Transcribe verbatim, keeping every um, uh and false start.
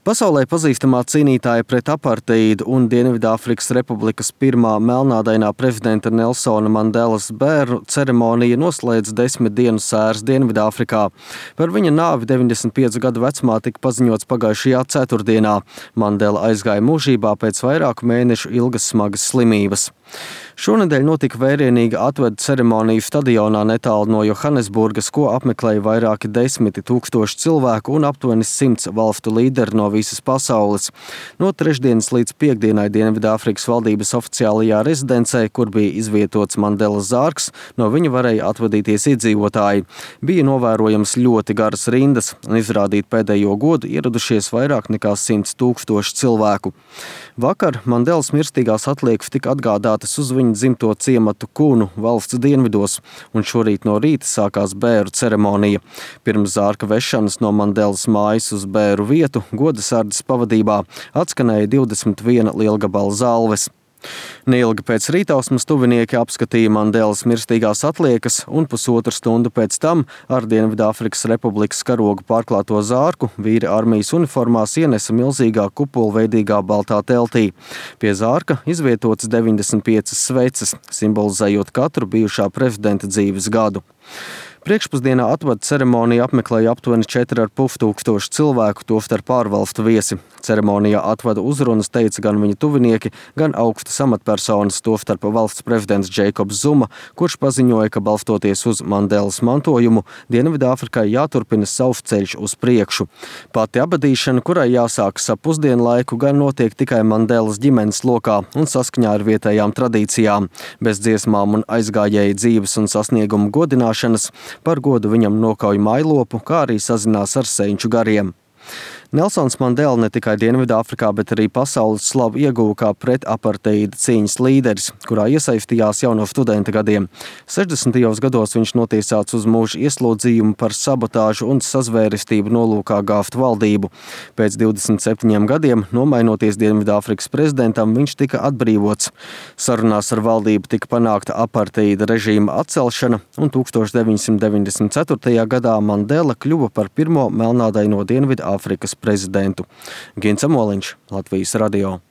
Pasaulē pazīstamā cīnītāja pret apartheidu un Dienvidāfrikas Republikas pirmā melnādainā prezidenta Nelsona Mandelas bērnu ceremonija noslēdz desmit dienu sēras Dienvidāfrikā. Par viņa nāvi deviņdesmit piecu gadu vecumā tika paziņots pagājušajā ceturtdienā. Mandela aizgāja mūžībā pēc vairāku mēnešu ilgas smagas slimības. Šonedēļ notika vērienīga atveda ceremonija stadionā netālu no Johannesburgas, ko apmeklēja vairāki desmiti tūkstoši cilvēku un aptuveni simts valstu līderi no visas pasaules. No trešdienas līdz piektdienai Dienvidāfrikas valdības oficiālajā rezidencē, kur bija izvietots Mandelas zārks, no viņa varēja atvadīties iedzīvotāji. Bija novērojams ļoti garas rindas un izrādīt pēdējo godu ieradušies vairāk nekā simts tūkstoši cilvēku. Vakar Mandelas mirstīgās atliekas tika atgādātas uz viņa dzimto ciematu Kunu valsts dienvidos, un šorīt no rīta sākās bēru ceremonija. Pirms zārka vešanas no Mandelas mājas uz bēru vietu godasardzes pavadībā atskanēja divdesmit viena lielgabala zalves. Neilgi pēc rītausmas tuvinieki apskatīja Mandelas mirstīgās atliekas un pusotru stundu pēc tam ar Dienvidāfrikas Republikas karogu pārklāto zārku vīri armijas uniformās ienesa milzīgā kupolveidīgā baltā teltī. Pie zārka izvietotas deviņdesmit piecas sveces, simbolizējot katru bijušā prezidenta dzīves gadu. Priekšpusdienā atvada ceremoniju apmeklēja aptuveni četri ar pus tūkstoši cilvēku, tostarp ārvalstu viesi. Ceremonijā atvada uzrunas teica gan viņa tuvinieki, gan augstas amatpersonas, tostarp valsts prezidents Džeikobs Zuma, kurš paziņoja, ka balstoties uz Mandelas mantojumu, Dienvidāfrikai jāturpina savs ceļš uz priekšu. Pati abadīšana, kurai jāsākas ap pusdienu laiku, gan notiek tikai Mandelas ģimenes lokā un saskaņā ar vietējām tradīcijām, bez dziesmām un aizgājēju dzīves un sasniegumu godināšanas. Par godu viņam nokauj mailopu, kā arī sazinās ar senču gariem. Nelsons Mandela ne tikai Dienvidāfrikā, bet arī pasaules slavu ieguva kā pret apartheida cīņas līderis, kurā iesaistījās jau no studenta gadiem. sešdesmitajos gados viņš notiesāts uz mūža ieslodzījumu par sabotāžu un sazvērestību nolūkā gāzt valdību. Pēc divdesmit septiņiem gadiem, nomainoties Dienvidāfrikas prezidentam, viņš tika atbrīvots. Sarunās ar valdību tika panākta apartheida režīma atcelšana, un tūkstoš deviņsimt deviņdesmit ceturtajā gadā Mandela kļuva par pirmo melnādaino Dienvidāfrikas prezidentu. Gins Amoliņš, Latvijas radio.